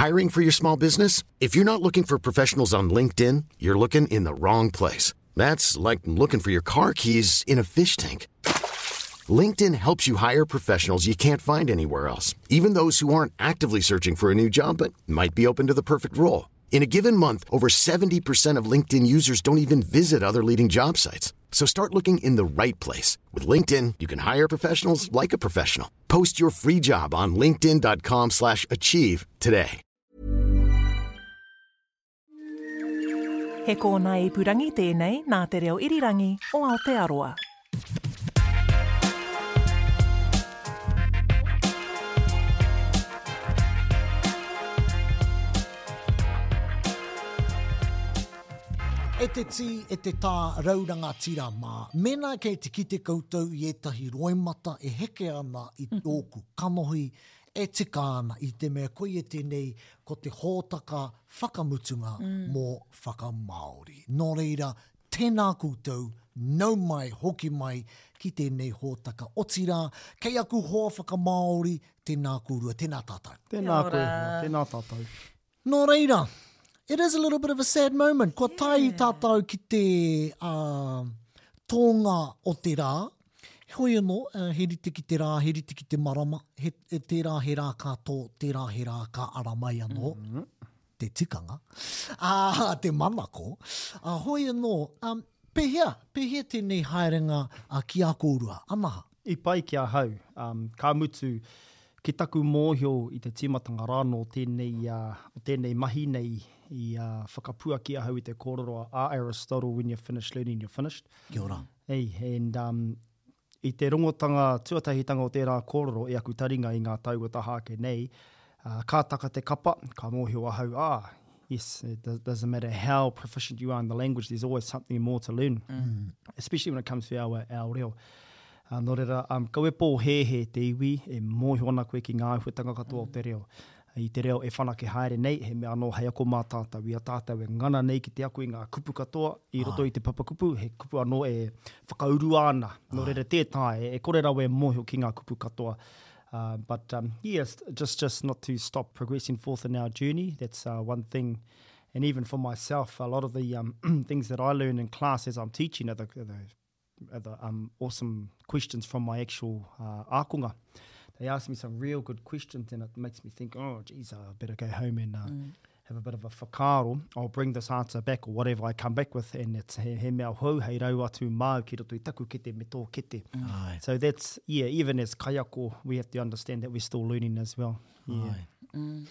Hiring for your small business? If you're not looking for professionals on LinkedIn, you're looking in the wrong place. That's like looking for your car keys in a fish tank. LinkedIn helps you hire professionals you can't find anywhere else, even those who aren't actively searching for a new job but might be open to the perfect role. In a given month, over 70% of LinkedIn users don't even visit other leading job sites. So start looking in the right place. With LinkedIn, you can hire professionals like a professional. Post your free job on linkedin.com slash achieve today. He kōnae ipurangi tēnei nā Te Reo Irirangi o Aotearoa. E te tī, e te tā raurangatira mā, mēnā kei te kite koutou i ētahi roimata e heke ana i tōku kanohi, e tika ana i te mea koia tēnei ko te hōtaka whakamutunga mō Whakamāori. Nō reira, Tēnā koutou, nau mai, hoki mai ki tēnei hōtaka. Otirā, kei aku hoa whakamāori, tēnā kōrua, tēnā tātou. Tēnā koe hoa, tēnā tātou. Nō reira, it is a little bit of a sad moment. Kua tae tātou ki te uh, tōnga o te rā. Heoi anō, he rite ki te rā, he rite ki te marama, he, tērā he rā ka tō, tērā he rā ka ara mai anō. Mm -hmm. te tikanga, ā, te manako, ā, hoi anō, ā, pēhea, pēhea tēnei haerenga ki a kōrua, Anaha? I pai ki ahau, ā, ka mutu, ki taku mōhio i te tīmatanga rānō tēnei, ā, o tēnei mahi nei i, ā, whakapuaki ahau i te kōrero a Aristotle, when you're finished learning, you're finished. Kia ora. Hey, and, um, I te rongotanga tuatahitanga o tērā kōrero e aku taringa i ngā tau kua taha ake nei, ka taka te kapa, ka mōhio ahau, ah, yes, it doesn't matter how proficient you are in the language, there's always something more to learn, mm. especially when it comes to our, our reo. Uh, nō reira, um, kaua e pōhēhē te iwi e mōhio ana koe ki ngā āhuatanga katoa o te reo. I te reo e whanake haere nei, he mea anō hei ako mā tātou. I a tātou e ngana nei ki te ako i ngā kupu katoa i roto i te papakupu, he kupu anō e whakaurua ana. Nō reira, tē taea, e kore rawa e mōhio ki ngā kupu katoa. Uh, but um, yes, just, just not to stop progressing forth in our journey, that's uh, one thing. And even for myself, a lot of the um, things that I learn in class as I'm teaching are the, are the the um, awesome questions from my actual uh, ākonga. They ask me some real good questions and it makes me think, oh, geez, I better go home and uh, mm. have a bit of a whakaaro. I'll bring this answer back or whatever I come back with and it's he, he mea hou hei rau atu māu ki roto i taku kete me tō kete. Mm. So that's, yeah, even as kaiako, we have to understand that we're still learning as well. Yeah. Ai. Mm.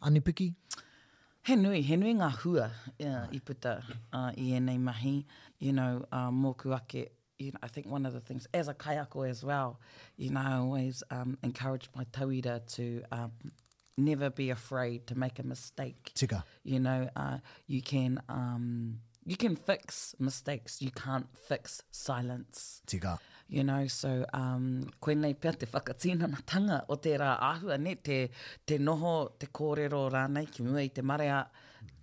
Anipiki? He nui, he nui ngā hua i puta i ēnei mahi, you know, mōku ake, you know, I think one of the things, as a kaiako as well, you know, I always um, encourage my tauira to um, never be afraid to make a mistake. Tika. You know, uh, you can, um, you can fix mistakes, you can't fix silence. Tika. You know, so um, koinei pea te whakatinanatanga o tērā āhua, ne, te, te noho, te kōrero rānei ki mua i te marea,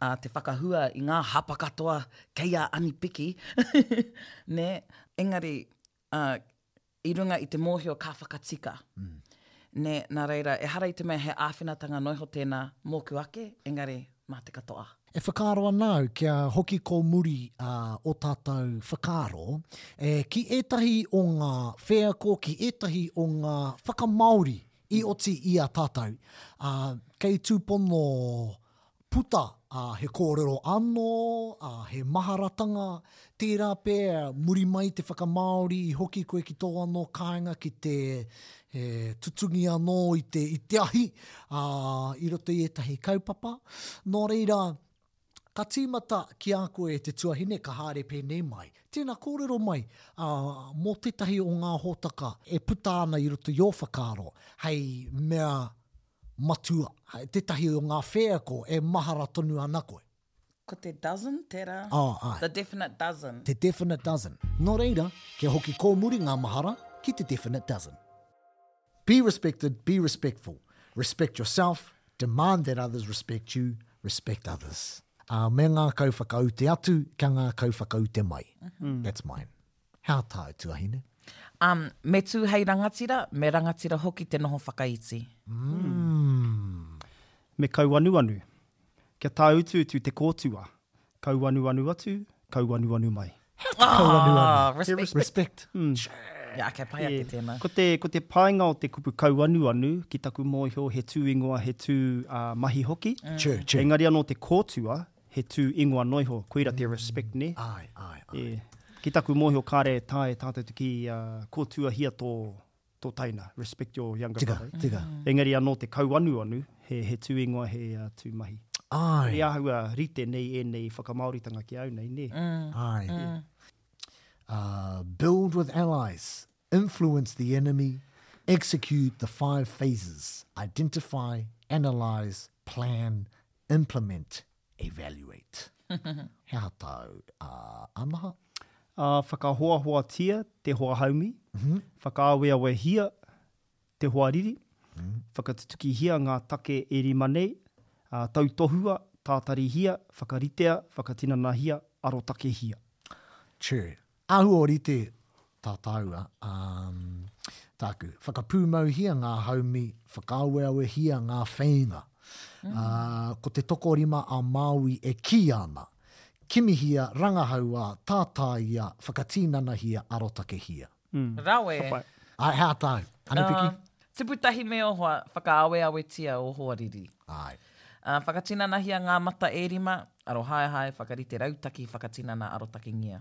uh, te whakahua i ngā hapa katoa kei a Anipiki, ne, engari, uh, i runga i te mōhio ka whakatika. Mm. Nē, nā reira, ehara i te mea he āwhinatanga noa iho tēnā mōku ake, engari mā te katoa. E whakaaro ana au kia hoki kōmuri ō tātou whakaaro ki ētahi o ngā wheako, ki ētahi o ngā whakamāori i oti i a tātou, ā, kei tūpono puta, ā, he kōrero anō, ā, he maharatanga, tērā pea muri mai te whakamāori i hoki koe ki tō anō kāinga ki te he tutungi anō i te, i te ahi, ā, i roto i ētahi kaupapa. Nō reira, ka tīmata ki a koe te tuahine ka haere pēnei mai. Tēnā kōrero mai, ā, mō tētahi o ngā hōtaka e puta ana i roto i ō whakaaro hei mea matua, tētahi o ngā wheako e mahara tonu ana koe. Ko te dozen tērā? Oh, āe. The definite dozen. Te definite dozen. Nō reira, kia hoki kōmuri ngā mahara ki te definite dozen. Be respected, be respectful. Respect yourself, demand that others respect you, respect others. Ā, me ngākau whakaute atu, kia ngākau whakaute mai. That's mine. He aha tāu, tuahine? Um, me tū hei rangatira, me rangatira hoki te noho whakaiti. Mm. Me kauanuanu. Kia tāutuutu te kōtua. Kauanuanu atu, kauanuanu mai. Kauanuanu. Ah, respect. Respect. Yeah, okay, pai ake tēnā. Ko te, ko te painga o te kupu kauanuanu, ki taku mōhio, he tū ingoa, he tū uh, mahi hoki. True, true. Engari anō te kōtua, he tū ingoa noa iho, koira te respect, nē? Ai, ai, ai. E, ki taku mōhio kāre e taea e tātou te kī uh, kōtuahia tō, tō taina, respect your younger Tika, brother. tika. Engari anō te kauanuanu, he, he tū ingoa, he uh, tū mahi. Ai. He āhua rite nei ēnei whakamāoritanga ki au nei, nē? Ai. Uh, build with allies, influence the enemy, execute the five phases, identify, analyze, plan, implement, evaluate. He aha tāu, uh, Anaha? Ā, whakahoahoatia te hoa haumi, whakaaweawehia te hoariri, whakatutukihia ngā take e rima nei, ā, tautohua, tātarihia, whakaritea, whakatinanahia, arotakehia. True. Āhua ōrite tā tāua, um, tāku. Whakapūmauhia ngā haumi, whakaaweawehia ngā wheinga. Ā, ko te tokorima a Māui e kī ana, Kimihia, rangahaua, tātāia, whakatinanahia, arotakehia. Rawe. Ka pai. Āe, hea tāu? Anapiki? Tupu tahi me ō hoa, whakaaweawetia ō hoariri. Āe. Whakatinanahia ngā mata e rima, arohaehae, whakarite rautaki, whakatinana arotakengia.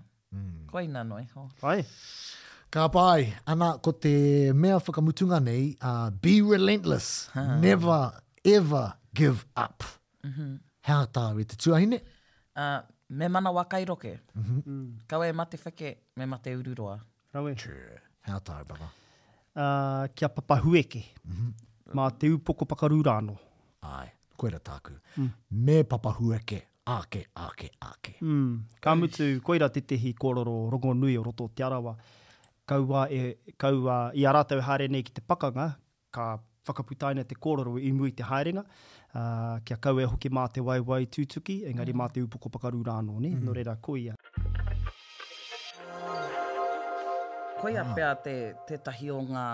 Koina noa iho. Pai. Ka pai. Ana, ko te mea whakamutunga nei, be relentless, never ever give up. He aha tāu e te tuahine? Me manawa kai roke. Kaua e mate wheke, me mate ururoa. Rawe. True. He aha tāu, Baba? Kia papahueke. Mā te upoko pakaru rānō. Āe, koira tāku. Me papahueke, ake, ake, ake. Ka mutu, koira tētehi kōrero rongonui o roto o Te Arawa. Kaua e, kaua, i a rātou e haere nei ki te pakanga, Ka whakaputaina te kōrero i mua i te haerenga, ā, kia kaua e hoki mā te waewae tūtuki, engari mā te upoko pakaru rā anō, nē? Nō reira, koia. Koia pea te, tētahi o ngā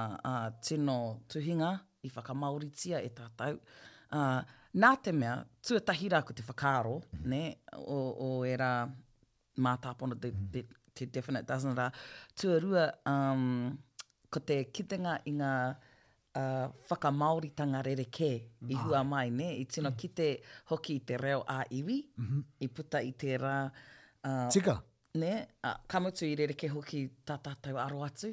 tino tuhinga i whakamāoritia e tātou. Ā, nā te mea, tuatahi rā ko te whakaaro, nē, o, o ērā mātāpono, te, te, te definite dozen rā. Tuarua, um, ko te kitenga i ngā uh, whakamāoritanga rerekē i hua mai, nē? I tino kite hoki i te reo ā-iwi, i puta i tērā... Uh, Tika. Nē? Uh, ka mutu i rerekē hoki tā tātou aro atu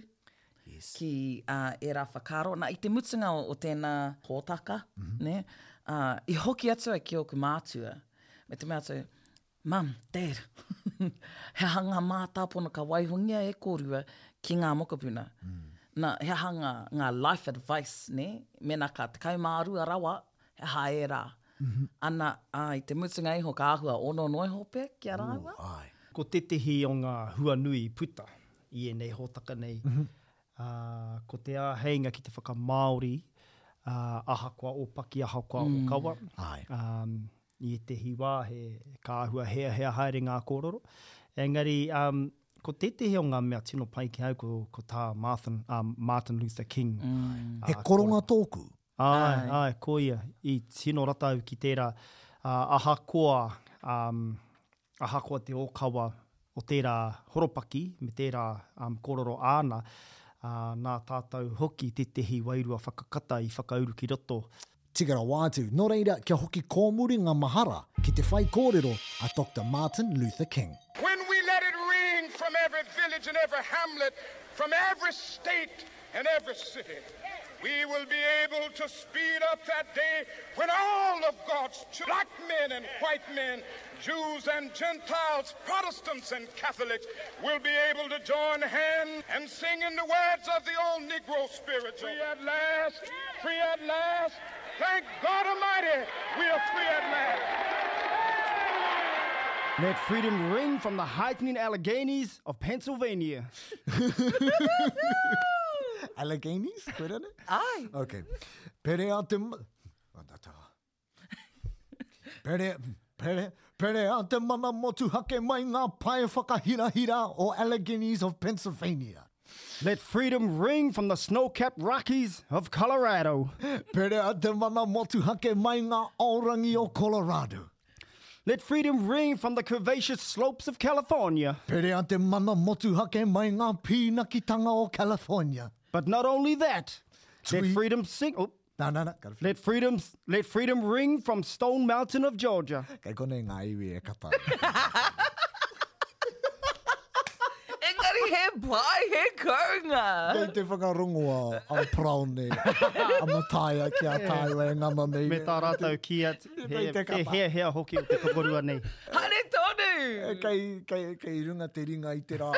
yes. ki uh, ērā whakaaro. Nā, i te mutunga o, o tēnā hōtaka, mm -hmm. nē? Uh, i hoki atu ai ki ōku mātua, me te mea atu, Mum, Dad, he aha ngā mātāpono ka waihongia e kōrua ki ngā mokopuna? Nā, he aha ngā, ngā life advice, nē? Mēnā ka 12 rawa, he aha ērā? Ana, ā, i te mutunga iho ka āhua ono noa iho pea ki a rāua. Āe. Ko tētehi o ngā hua nui i puta i ēnei hōtaka nei, ā, ko te āheinga ki te whakamāori, ā, ahakoa ōpaki, ahakoa ōkawa. Āe. Ā, I ētehi wā he, ka āhua heahea haere ngā kōrero. Engari, um, ko tētehi o ngā mea tino pai ki au ko, ko tā Marthin, uh, Martin Luther King. Mm. He koronga tōku. Āe, āe, ko ia. I tino rata au ki tērā, uh, ahakoa, um, ahakoa te ōkawa o tērā horopaki me tērā um, kōrero āna, uh, nā tātou hoki tētehi wairua whakakata i whakauru ki roto. Tika rawa atu, nō reira kia hoki kōmuri ngā mahara ki te whaikōrero a Doctor Martin Luther King. When we let it ring from every village and every hamlet, from every state and every city, we will be able to speed up that day when all of God's children, black men and white men, Jews and Gentiles, Protestants and Catholics, will be able to join hands and sing in the words of the old Negro spiritual. Free at last, free at last. Thank God Almighty, we are free at last. Let freedom ring from the heightening Alleghenies of Pennsylvania. Alleghenies? Koe rānei? Ai. Ok. Pere a te... Pere, pere, pere a te mana motuhake mai ngā pae whakahirahira o Alleghenies of Pennsylvania. Let freedom ring from the snow-capped Rockies of Colorado. Perea te mana motuhake mai ngā aorangi o Colorado. Let freedom ring from the curvaceous slopes of California. Perea te mana motuhake mai ngā pīnakitanga o California. But not only that, let freedom sing... Oh. Nā, nā, nā, Let freedom, let freedom ring from Stone Mountain of Georgia. Kei konei ngā iwi e kata. Engari he pai, he kounga. Kei te whakarongo a, a Paraone, a Mataia ki a tāua e ngana nei. Me tā rātou kī atu, he, he heahea hoki o te tokorua nei. Haere tonu! Kei, kei, kei runga te ringa i te rā.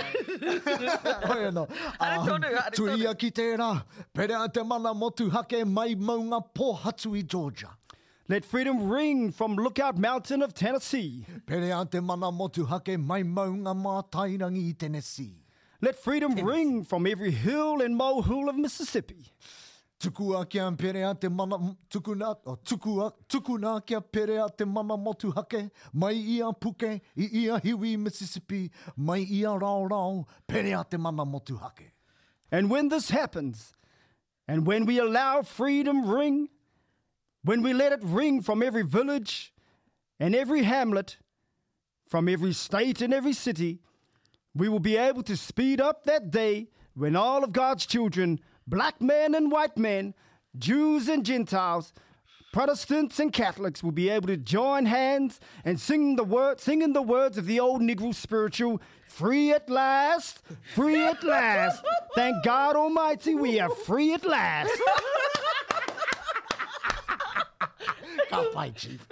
Hoi anō. Haere tonu, haere tonu. Tuia ki tērā, perea te mana motuhake mai maunga pōhatu i Georgia. Let freedom ring from Lookout Mountain of Tennessee. Perea te mana motuhake mai maunga Mātairangi i Tennessee. Let freedom ring from every hill and molehill of Mississippi. Tukua kia perea te mana, tukuna, oh, tukua, tukuna kia perea te mana motuhake, mai i a Puke, i ia hiwi Mississippi, mai i a Raorao, perea te mana motuhake. And when this happens, and when we allow freedom ring, when we let it ring from every village and every hamlet, from every state and every city, we will be able to speed up that day when all of God's children, black men and white men, Jews and Gentiles, Protestants and Catholics will be able to join hands and sing the word, singing the words of the old Negro spiritual, free at last, free at last. Thank God Almighty, we are free at last. Ka pai, Chief.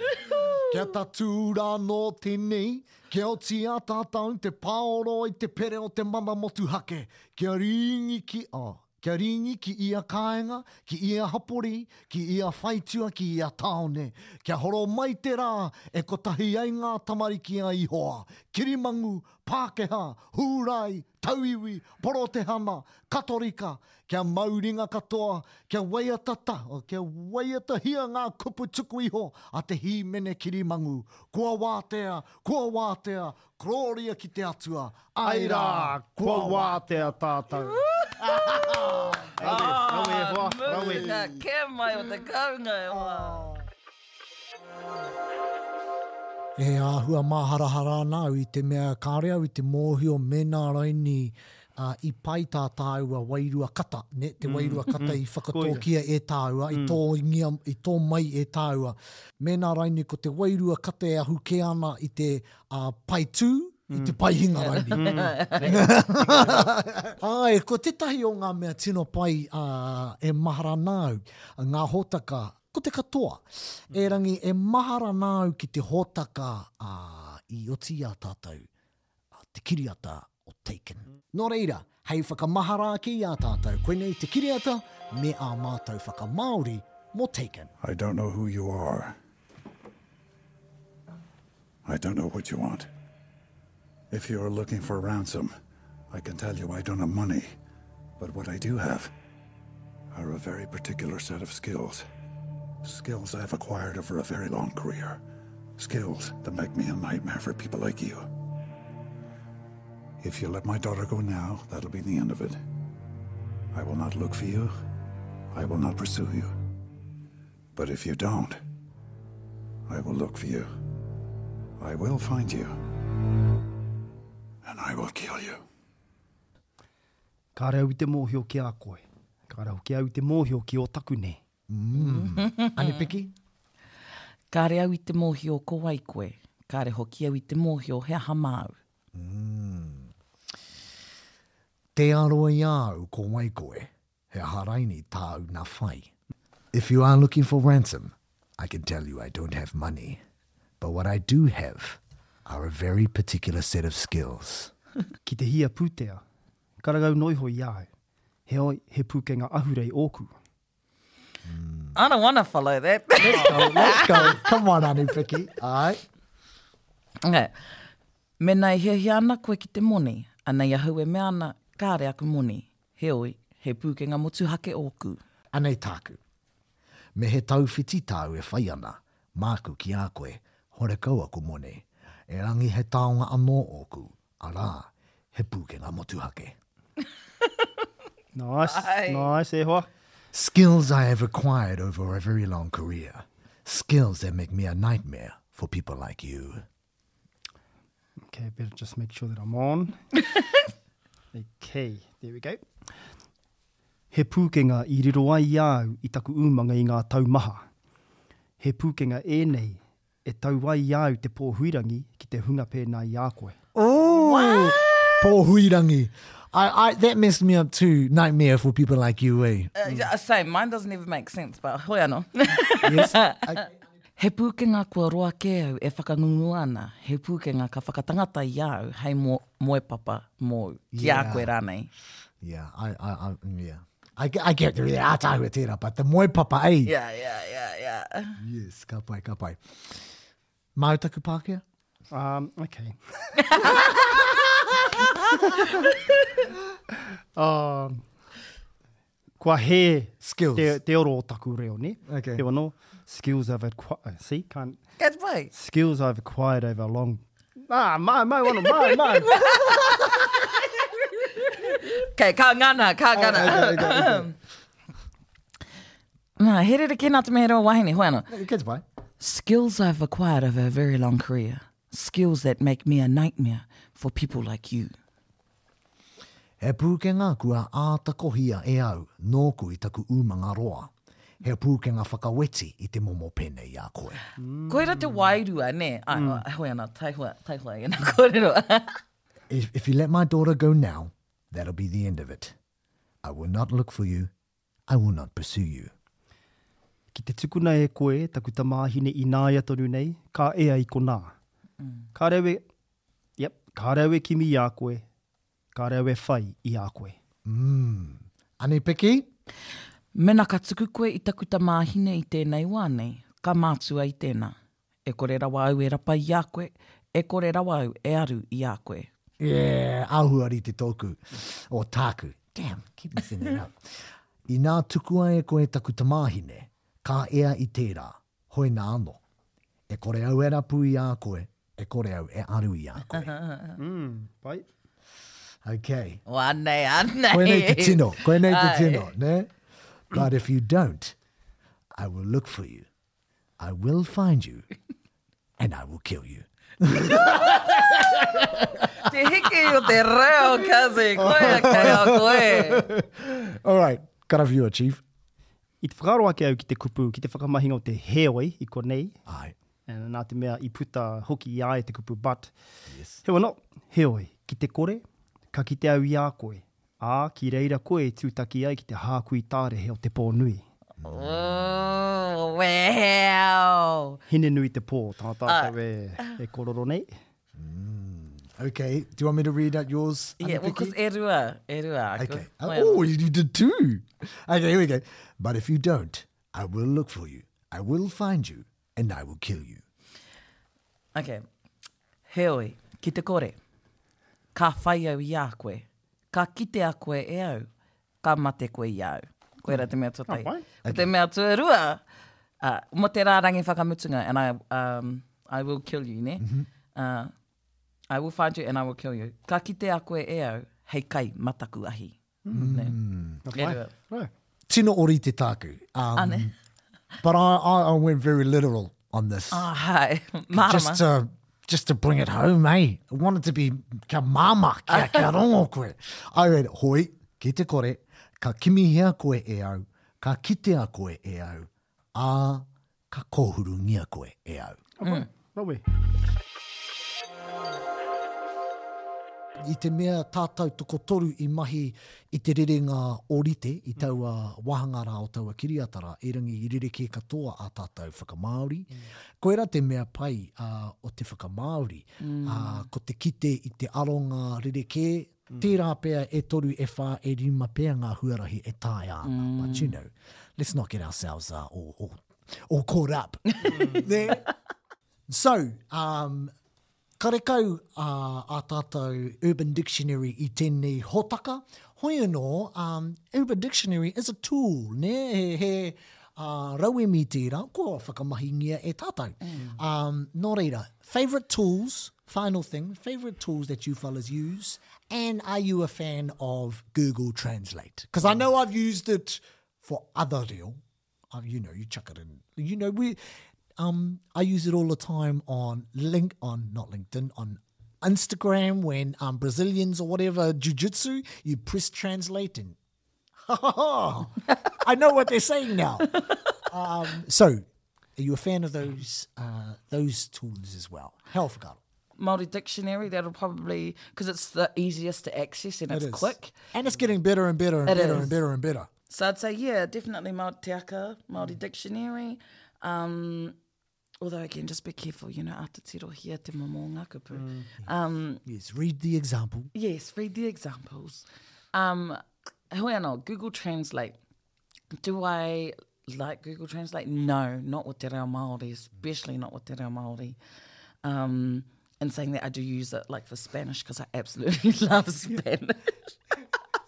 Kia tatū rānō tēnei, kia oti a tātou te pāoro i te pere o te mana motuhake, kia rīngi ki, oh, kia rīngi ki ia kāinga, ki ia hapori, ki ia whaitua, ki ia tāone. Kia horo mai te rā e kotahi ai ngā tamariki a Ihoa, kirimangu, Pākehā, Hūrai, Tauiwi, Porotehana, Katorika, kia mau ringa katoa, kia waiata ta, kia waiatahia ngā kupu tuku iho a te hīmene kirimangu, Kua wātea, kua wātea, korōria ki te Atua, Ai rā, kua wātea tātou. Rawe, rawe e hoa, rawe. Mutunga kē mai o te kounga e hoa. E āhua māharahara ana au i te mea kāore au i te mōhio mēnā raini i pai tā tāua wairua kata, nē, te wairua kata i whakatōkia e tāua, i tōngia, i tō mai e tāua. Mēnā raini ko te wairua kata e ahu kē ana i te pai tū, i te pai hinga raini. Āe, ko tētahi o ngā mea tino pai e mahara ana au, ngā hōtaka Ko te katoa. Erangi, e mahara ana au ki te hōtaka i oti i a tātou, te kiriata o Taken. Nō reira, hei whakamahara ake i a tātou, koinei te kiriata me ā mātou whakamāori mō Taken. I don't know who you are. I don't know what you want. If you're looking for ransom, I can tell you I don't have money. But what I do have are a very particular set of skills. Skills I've acquired over a very long career. Skills that make me a nightmare for people like you. If you let my daughter go now, that'll be the end of it. I will not look for you. I will not pursue you. But if you don't, I will look for you. I will find you. And I will kill you. Kāre au i te mōhio ki a koe. Kāre hoki au i te mōhio ki ō takune. Mm. Anipiki? Kāre au i te mōhio ko wai koe. Kāre hoki au i te mōhio he aha māu. Mm. Tē aro i a au ko wai koe. He aha raini tāu na whai? If you are looking for ransom, I can tell you I don't have money, but what I do have are a very particular set of skills. Ki te hia pūtea, karangau noa iho i a au, heoi, he pūkenga ahurei ōku. I don't wanna follow that. Let's go, let's go. Come on, Anipiki. All right. Okay. Mena e hiahia ana koe ki te moni, anei ahau e mea ana, kāre aku moni. Heoi, he pūkenga motuhake ōku. Anei tāku. Me he tauwhiti tāu e whai ana, māku ki a koe, horekau aku moni. Erangi he taonga anō ōku, arā, he pūkenga motuhake. Nice, Ai. nice, e hoa. Skills I have acquired over a very long career. Skills that make me a nightmare for people like you. Okay, better just make sure that I'm on. okay, there we go. He pūkenga i riro ai i a au i taku umanga i ngā tau maha. He pūkenga ēnei e tau ai i a au te pōhuirangi ki te hunga pēnā i a koe. Oh! Pōhuirangi. I, I, that messed me up too. Nightmare for people like you, eh? Uh, same, mine doesn't even make sense, but hoi anō. Yes. Okay. He pūkenga kua roa kē au e whakangungua ana, he pūkenga ka whakatangata i a au hei mo, moepapa mōu, ki a koe rānei. Yeah, I, I, I, yeah. I, I get the ātaahua tērā, but the moepapa, eh? Yeah, yeah, yeah, yeah. Yes, ka pai, ka pai. Māu taku Pākehā? Um, okay. um, kua hē skills. Te, te oro o taku reo, ne? Okay. Heoi anō, skills I've acquired, see, can't... Good boy. Skills I've acquired over a long... Ah, mau, mau, ano, mau, mau. Okay, ka ngana, ka ngana. Okay, okay, okay. Nā, he rerekē nā te mea he reo wahine, hoi anō. Good boy. Skills I've acquired over a very long career. Skills that make me a nightmare for people like you. He pūkenga kua āta kohia e au nōku i taku umanga roa. He pūkenga whakaweti i te momo pēnei i a koe. Koira te wairua, nē? Ai, hoi ana, taihoa, taihoa i ēnā kōrero. If, if you let my daughter go now, that'll be the end of it. I will not look for you, I will not pursue you. Ki te tukuna e koe taku tamāhine ināia tonu nei, ka ea i konā. Kāre au e, yep, kāre au e kimi i a koe, kāre au e whai i a koe. Mm. Anei Piki? Mena ka tuku koe i taku tamāhine i tēnei wā nei, ka mātua i tēnā. E kore rawa au e rapa i a koe, e kore rawa au e aru i a koe. Yeah, āhua rite tōku, or tāku. Damn, keep messing that up. Inā tukua e koe taku tamāhine, ka ea i tērā, hoi nā anō. E kore au e rapu i a koe, e kore au e aru i a koe. Mm, pai. Okay. O, anei, anei. Koinei te tino, koinei te Ai. tino, ne? But if you don't, I will look for you. I will find you and I will kill you. Te hiki o te reo, Kazi. Koia kei a koe. All right, karawhiua, Chief. I te whakaaro ake au ki te kupu, ki te whakamahinga o te heoi i konei. Ai. Nā te mea i puta hoki i a ia te kupu but. Yes. Heoi anō, heoi, ki te kore, ka kite au i a koe, ā, ki reira koe e tūtaki ai ki te hākui tārehe o te pō nui. Oh, well. Hine nui te pō, tā tātou e, e kororo nei. Okay, do you want me to read out yours? Yeah, well, because e rua, e rua. aku. Okay. Hoi Oh, you did two. Okay, here we go. But if you don't, I will look for you. I will find you, and I will kill you. Okay. Heoi, ki te kore. Ka whai au i a koe. Ka kitea koe e au. Ka mate koe i a au. Koira te mea tuatahi. Oh, Ko te mea tuarua, uh, mo te rārangi whakamutunga, and I, um, I will kill you, ne? Mm -hmm. uh, I will find you and I will kill you. Ka kitea koe e au, hei kai mataku ahi. Mm. Ne? Mm. E rua. Right. Tino orite tāku. Um, Ane. But I, I, I went very literal on this. Ah, hai. Mārama. Just to, just to bring it home, eh? I wanted to be kia māmā, kia, kia rongo koe. I read, hoi, ki te kore, ka kimihia koe e au, ka kitea koe e au, ā, ka kōhurungia koe e au. Mm. Rawe. I te mea tātou tokotoru i mahi i te rerenga ōrite i taua wāhanga rā o taua kiriata rā, erangi i rerekē katoa ā tātou whakamāori. Koirā te mea pai o te whakamāori, ko te kite i te aronga rerekē, tērā pea e toru, e whā, e rima pea ngā huarahi e taea ana. But you know, let's not get ourselves all, all, all caught up. Nē? So, um, Karekau ā tātou Urban Dictionary i tēnei hōtaka. Hoi anō, um, Urban Dictionary is a tool, nē? He, he uh, rauemi tērā, kua whakamahingia e tātou. Mm. Um, nō reira, favourite tools, final thing, favourite tools that you fellas use And are you a fan of Google Translate? Because I know I've used it for other reo. You know, you chuck it in. You know, we, um, I use it all the time on link on not LinkedIn on Instagram when um, Brazilians or whatever jiu-jitsu, you press translate and I know what they're saying now. Um, so, are you a fan of those uh, those tools as well? Hell forgot. Māori dictionary, that'll probably, because it's the easiest to access and it's It is. quick. And it's getting better and better and It better is. and better and better. So I'd say, yeah, definitely Māori Te Aka, Māori dictionary. Um, although, again, just be careful, you know, ata tirohia te momo o ngā kupu. Um, Yes, read the example. Yes, read the examples. Um, hoi anō, Google Translate. Do I like Google Translate? No, not with te reo Māori, especially not with te reo Māori. Um, and saying that I do use it like for Spanish because I absolutely love Spanish.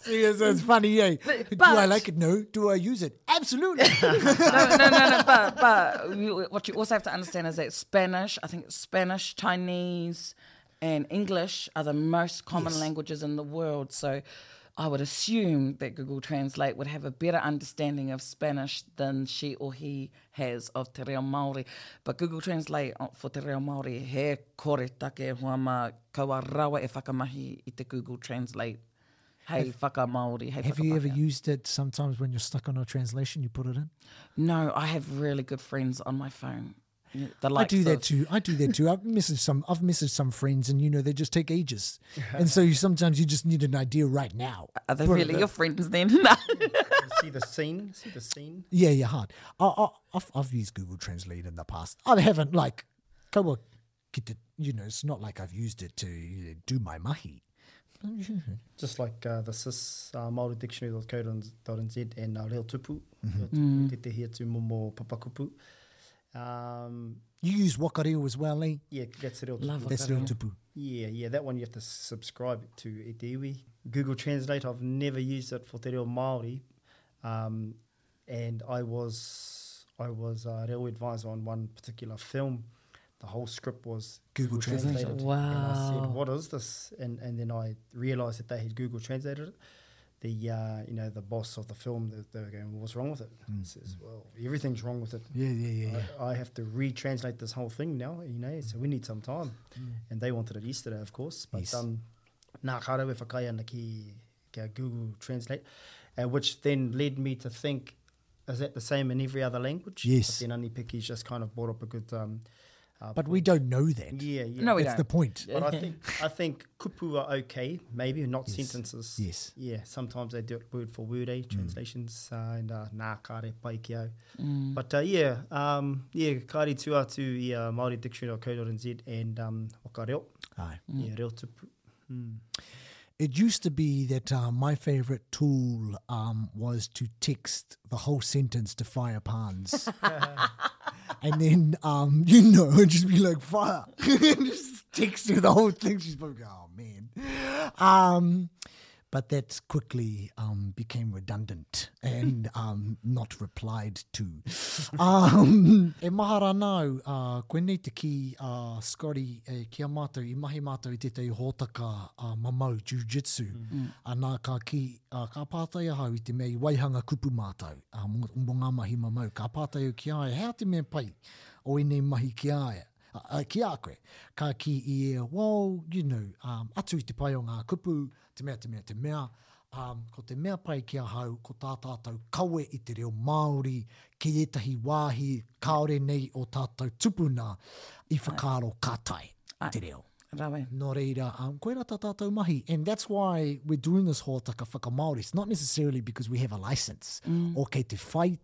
See, it's, it's funny, eh? Do but- I like it? No. Do I use it? Absolutely. no, no, no, no. But but you, what you also have to understand is that Spanish, I think Spanish, Chinese, and English are the most common Yes. languages in the world. So I would assume that Google Translate would have a better understanding of Spanish than she or he has of te reo Māori. But Google Translate uh, for te reo Māori, he kore take hoa mā, kaua rawa e whakamahi i te Google Translate. Hei whakamāori, hei Have you ever whakapākehā. used it sometimes when you're stuck on a translation, you put it in? No, I have really good friends on my phone. Yeah, The I likes do that of- too. I do that too. I've messaged some I've messaged some friends and you know they just take ages. And so you sometimes you just need an idea right now. Are they Put it really in. your friends then? See the scene? See the scene? Yeah, yeah, hard. I, I, I've, I've used Google Translate in the past. I haven't like, kaua ki te, you know, it's not like I've used it to you know, do my mahi. Just like uh, the sis uh, Māori Dictionary.co.nz and uh, Reo Tupu. Reo Tupu, tētehi atu momo papakupu. Um, You use Wakareo as well, eh? yeah, that's Reo Tupu. Love That's Reo Tupu. Yeah, yeah, that one you have to subscribe to e te iwi. Google Translate, I've never used it for te reo Māori. Um, and I was I was a reo advisor on one particular film. The whole script was Google Translate. translated. And I said, Wow. what is this? And and then I realized that they had Google translated it. The uh, you know, the boss of the film, they, they were going, well, what's wrong with it? I says, well, everything's wrong with it. Yeah, yeah, yeah, yeah. I, I have to retranslate this whole thing now, you know, so we need some time. And they wanted it yesterday, of course. But Mm. Yes. um, nā, ka rau e whakaea ana ki, ki a Google Translate, uh, which then led me to think, is that the same in every other language? Yes. But then Anipeki's just kind of brought up a good... Um, uh, But we don't know that. Yeah, yeah. No, we That's don't. the point. But I think I think kupu are okay, maybe not sentences. Yes. Mm. Yeah, sometimes they do it word for word, eh? Translations uh, and uh, nā kāre pai ki au. But uh, yeah, um, yeah, kāre tū atu i uh, Māori Dictionary.co.nz and um, waka reo. Aye. Yeah, reo tupu. It used to be that uh, my favorite tool um, was to text the whole sentence to Fire Pans. and then, um, you know, it'd just be like, fire. just text her the whole thing. She's probably, oh, man. Um, but that quickly um, became redundant and um, not replied to. Um, e mahara nau, uh, koinei te ki uh, Scotty, e, ki a mātou, i mahi mātou i tētahi hōtaka uh, mamau, jiu-jitsu. Mm. Nā, ka, ki, uh, ka pātai ahau i te mea i waihanga kupu mātou, uh, mō, mō ngā mahi mamau. Ka pātai au ki a ia, hea te mea pai o ēnei mahi ki a ia? Uh, ki a koe, ka ki i e, well, you know, um, atu i te pai o ngā kupu, te mea, te mea, te mea, um, ko te mea pai ki ahau, ko tā tātou kawe i te reo Māori, ki ētahi wāhi kāore nei o tātou tupuna i whakaaro ka tae te reo. Rawe. Nō reira, um, koira tā tātou mahi. And that's why we're doing this hōtaka whakamāori. It's not necessarily because we have a license mm. or kei te whai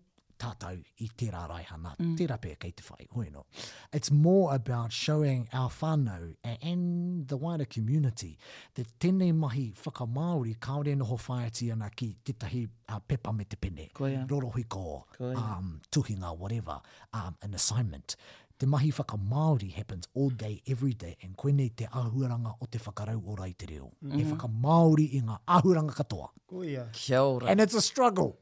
tātou i tērā raihana, mm. tērā pea kei te whai, hoi no. It's more about showing our whānau and the wider community that tēnei mahi whakamāori kāore noho whāiti ana ki tētahi uh, pepa me te pene, Koia. rorohiko, Koia. um, tuhinga, whatever, um, an assignment. Te mahi whakamāori happens all day, every day, and koinei te āhuaranga o te whakarau ora i te reo. Mm -hmm. He whakamāori i ngā āhuaranga katoa. Koia. Kia ora. And it's a struggle.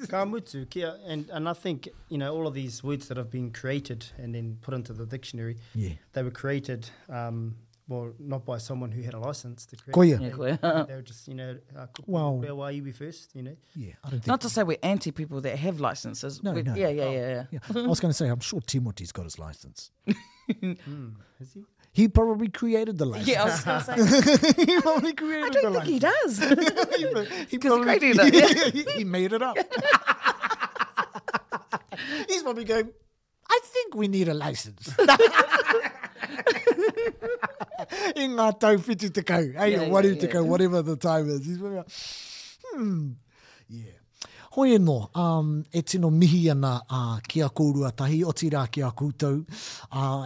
Ka mutu, kia, and, and I think, you know, all of these words that have been created and then put into the dictionary, Yeah. they were created um, Well, not by someone who had a license to create. Koia. Yeah, koia. They were just, you know, well, reo iwi first, you know. Yeah, I don't think... Not to say we're anti people that have licenses. No, no. Yeah, yeah, yeah, yeah. I was going to say, I'm sure Timoti's got his license. Has he? He probably created the license. Yeah, I was going to say. He probably created I don't the think he license. does. He Because he created it. he, he made it up. He's probably going, I think we need a license. I ngā tau whitu tekau, hey, Yeah, or waru yeah, tekau, yeah. whatever the time is. He's probably like, yeah. Hoi anō, e tino mihi ana ki a kōrua tahi, otirā ki a koutou,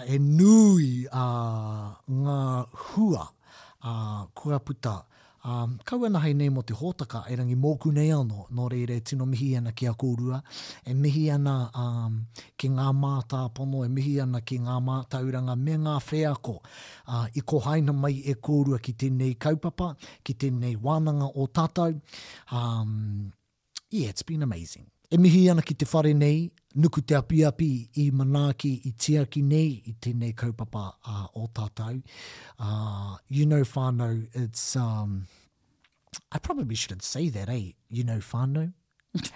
e nui ngā hua kua puta. Kaua ana hei nei mō te hōtaka, erangi mōku nei anō, nō reira e tino mihi ana ki a kōrua, e mihi ana ki ngā mātāpono, e mihi ana ki ngā mātauranga me ngā wheako i kohaina mai e kōrua ki tēnei kaupapa, ki tēnei wānanga o tātou. Yeah, it's been amazing. E mihi ana ki te whare nei, Nuku Te Apiapi i manaaki, i tiaki nei i tēnei kaupapa o tātou. You know whānau, it's, I probably shouldn't say that, eh? You know whānau.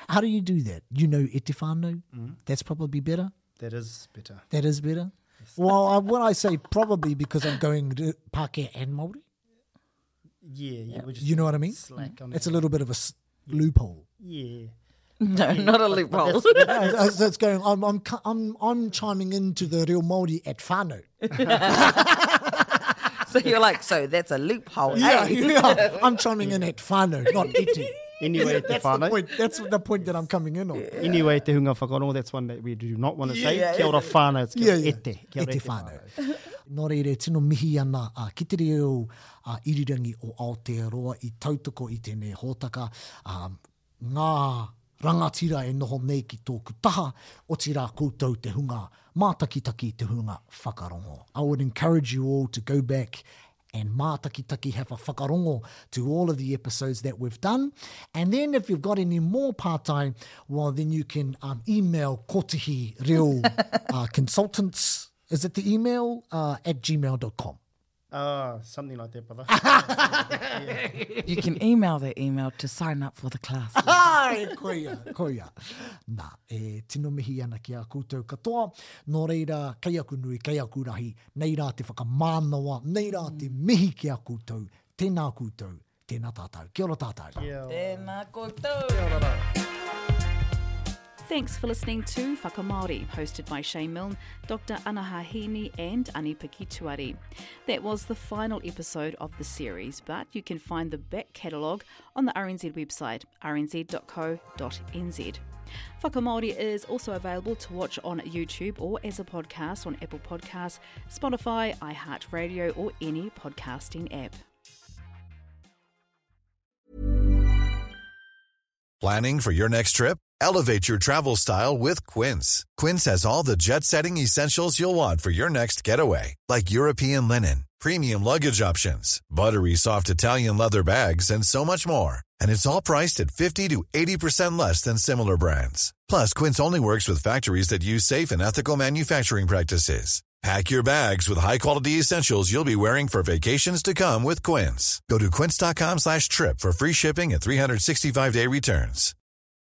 How do you do that? You know e te whānau? That's probably better? That is better. That is better? Well, when I say probably because I'm going to Pākehā and Māori. Yeah, yeah. We're just You know what I mean? Slack on It's a that. little bit of a loophole. Yeah. No, not a loophole. That's going. I'm chiming into the reo Māori at whānau. So you're like, so that's a loophole. Yeah, eh? yeah. I'm chiming in at whānau, not iti. Anyway, te That's the whānau. point. That's the point that I'm coming in on. Anyway, te hunga whakarongo, that's one that we do not want to say. Yeah. Kia ora whānau, it's kia Yeah, yeah. ete. Kia ora E te whānau. Nō reira, tino mihi ana ki te reo irirangi o Aotearoa i tautoko i tēnei hōtaka. Ngā rangatira e noho nei ki tōku taha, otirā koutou te hunga mātakitaki, te hunga whakarongo. I would encourage you all to go back and mātakitaki, have a whakarongo to all of the episodes that we've done. And then if you've got any more pātai, well, then you can email Kotihi Reo Consultants. Is it the email? At gmail.com. Something like that, brother. You can email that email to sign up for the class. Ai, koia, koia. Nā, e tino mihi ana ki a koutou katoa. Nō reira, kei aku nui, kei aku rahi, nei rā te whakamānawa, nei rā te mihi ki a koutou. Tēnā koutou, tēnā tātou. Kia ora tātou. Tēnā koutou. Kia ora rā. Thanks for listening to Whakamāori, hosted by Shay Milne, Dr. Anaha Hiini and Ani-Piki Tuari. That was the final episode of the series, but you can find the back catalogue on the RNZ website, rnz.co.nz. Whakamāori is also available to watch on YouTube or as a podcast on Apple Podcasts, Spotify, iHeartRadio or any podcasting app. Planning for your next trip? Elevate your travel style with Quince. Quince has all the jet-setting essentials you'll want for your next getaway, like European linen, premium luggage options, buttery soft Italian leather bags, and so much more. And it's all priced at 50 to 80% less than similar brands. Plus, Quince only works with factories that use safe and ethical manufacturing practices. Pack your bags with high-quality essentials you'll be wearing for vacations to come with Quince. Go to quince.com/trip for free shipping and 365-day returns.